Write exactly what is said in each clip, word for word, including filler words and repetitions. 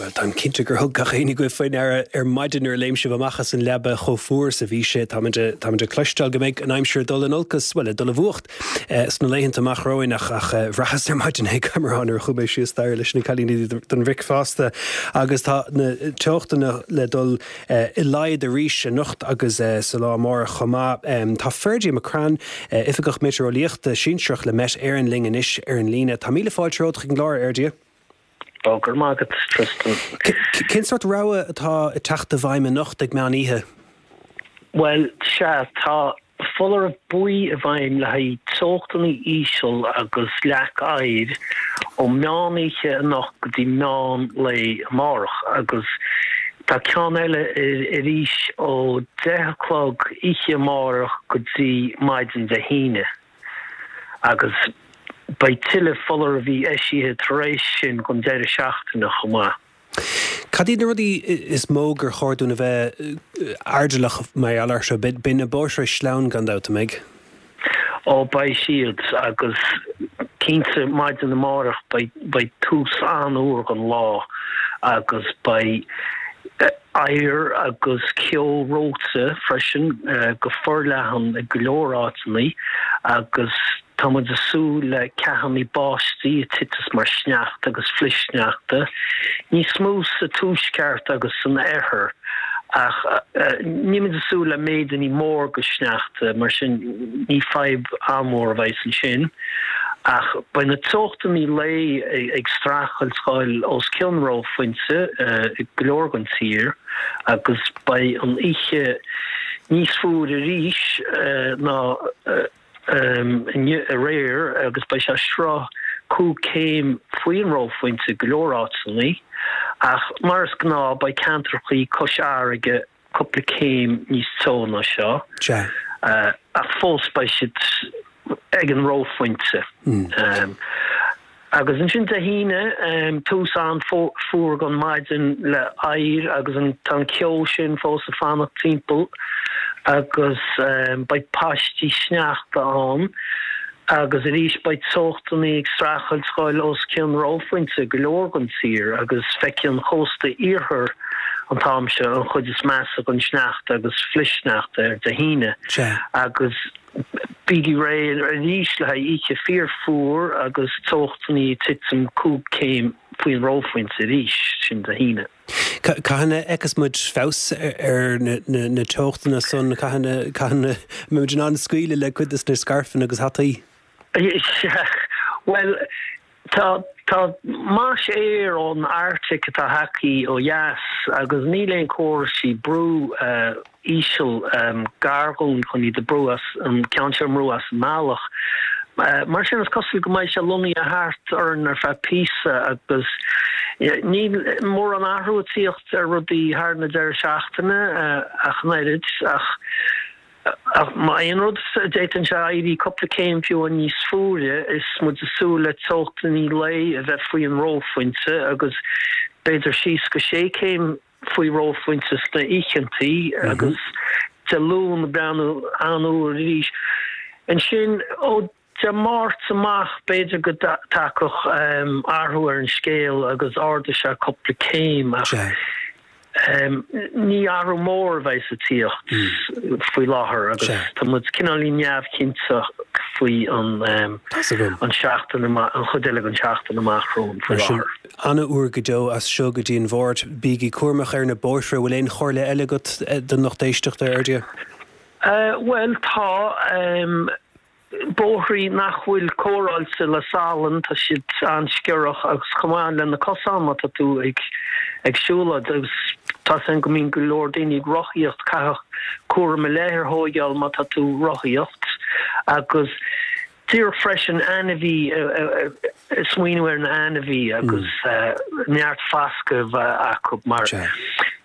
Bhuel, táim cinnte gur thug gach éinne agaibh faoi ndeara ar maidin nuair a léim sibh amach as an leaba chomh fuar is a bhí sé. Táimid táimid ag cloisteáil go mbeidh an aimsir ag dul in olcas, bhuel, ag dul i bhfuacht sna laethanta amach romhainn ach ach bhraitheas ar maidin é Cameron nuair a chuaigh mé síos staighre leis na cailíní don bhricfeasta agus tá na teochtanna le dul i laghad arís anocht agus sa lá amárach chomh maith. Tá Ferdia McCrann, Oifigeach Meitéareolaíochta Sinsearach le Met Éireann linn anois ar an líne. Tá míle fáilte romhat chuig an gclár, a Fherdia. Ó, go raibh maith agat, Tristan. Cén sórt rabhadh atá ag teacht i bhfeidhm anocht ag meán oíche? Bhuel, sea, tá foláireamh buí i bhfeidhm le haghaidh teochtanna íseal agus leac oighir ó meán oíche anocht go dtí meán lae amárach agus tá ceann eile arís ó deich a chlog oíche amárach go dtí maidin Dé hAoine agus Beidh tuilleadh foláireamh eisithe tar éis sin don deireadh seachtaine chomh maith. Cad iad na rudaí is mó gur chóir dúinn a bheith airdeallach mar gheall air seo? Beidh na bóithre sleamhain gan dabht, an mbeidh? Ó, beidh siad agus cinnte maidin amárach beidh tús an-fhuar don lá agus beidh oighear agus ceo reoite freisin go forleathan i go leor áiteanna agus tá muid ag súil le ceathanna báistí a titeas mar shneachta agus flichshneachta, níos mó sa tuaisceart agus san oirthear ach níl muid ag súil le méideanna mór de shneachta, mar sin ní fadhb an-mhór a bheas ansin. Ach beidh na teochtanna lae ag streachailt dhul os cionn reophointe i go leor den tír agus beidh an oíche níos fuaire arís ná inniu aréir agus beidh sé sruth cúig céim faoin reophointe i go leor áiteanna ach mar is gnáth beidh ceantrachaí cois fharraige cúpla céim níos teo ná seo ach fós beidh siad ag an reophointe. Agus ansin Dé hAoine, tús an-fhuar don maidin le oighear agus an tá an ceo sin fós ag fanacht timpeall agus beidh paistí sneachta ann agus arís beidh teochtanna ag streachailt dhul os cionn reophointe i go leor den tír agus feicfidh an chósta iarthair an t-am seo an chuid is measa den sneachta agus flichshneachta ar Dé hAoine agus bígí réidh arís le haghaidh oíche fíorfhuar agus teochtanna ag titim cúig céim faoin reophointe arís, sin Dé hAoine. Cathain a fheicfeas muid feabhas ar na teochtanna san? Cathain a mbeidh muid in ann scaoileadh le cuid de na scairfeanna agus hataí? Bhuel, tá tá mais aeir ón Arctic atá tagtha ó dheas agus níl aon córaisí brú íseal gar dhúinn chun iad a brú as, an ceann seo a mbrú as an mbealach. Mar sin is cosúil go mbeidh sé lonnaithe thart orainn ar feadh píosa agus níl mórán athrú ag tíocht ar rudaí thar na deireadh seachtaine ach an oiread ach ach má aon rud d'fhéadfadh sé éirí cúpla céim fiú níos fuaire is muid ag súil le teochtanna lae a bheith faoi an reophointe agus b'fhéidir síos go sé céim faoi reophointe sna oícheantaí agus Dé Luain ag breathnú an-fhuar arís. Ansin ó Dé Máirt amach b'fhéidir go dtagfadh athrú ar an scéal agus ardóidh sé cúpla céim ach ní athrú mór a bheidh sa tíocht faoi láthair agus tá muid cineáilín neamhchinnte faoi an an seachtain amach, an chuid eile den tseachtain amach romhainn faoi láthair. An-fhuar go deo as seo go dtí an Mháirt. Bígí cúramach ar na bóithre. Bhfuil aon chomhairle eile agat don lucht éisteachta, a Fherdia? Bhuel, tá. Bóithrí nach bhfuil cóireáilte le salann, tá siad an-sciorrach agus chomh maith le na cosáin má tá tú ag ag siúlóid agus tá 's agam go mbíonn go leor daoine ag rothaíocht, caithfidh cúram ar leith a thóigeáil má tá tú rothaíocht agus díreach freisin ainmhí smaoineamh ar na ainmhí agus neart fascadh a bheith acu mar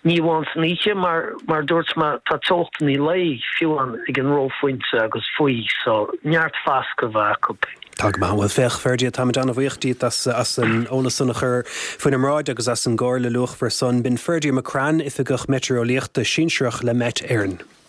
ní amháin san oíche mar mar dúirt mé tá teochtanna lae fiú amháin ag an reophointe agus faoi so neart fascadh a bheith acu. Tá go maith. Bhuel féach, Ferdia, táimid an-bhuíoch díot as as an eolas san a chur faoinár mbráid agus as an gcomhairle luachmhar san. B'in Ferdia McCrann, Oifigeach Meitéareolaíochta Sinsearach le Met Éireann.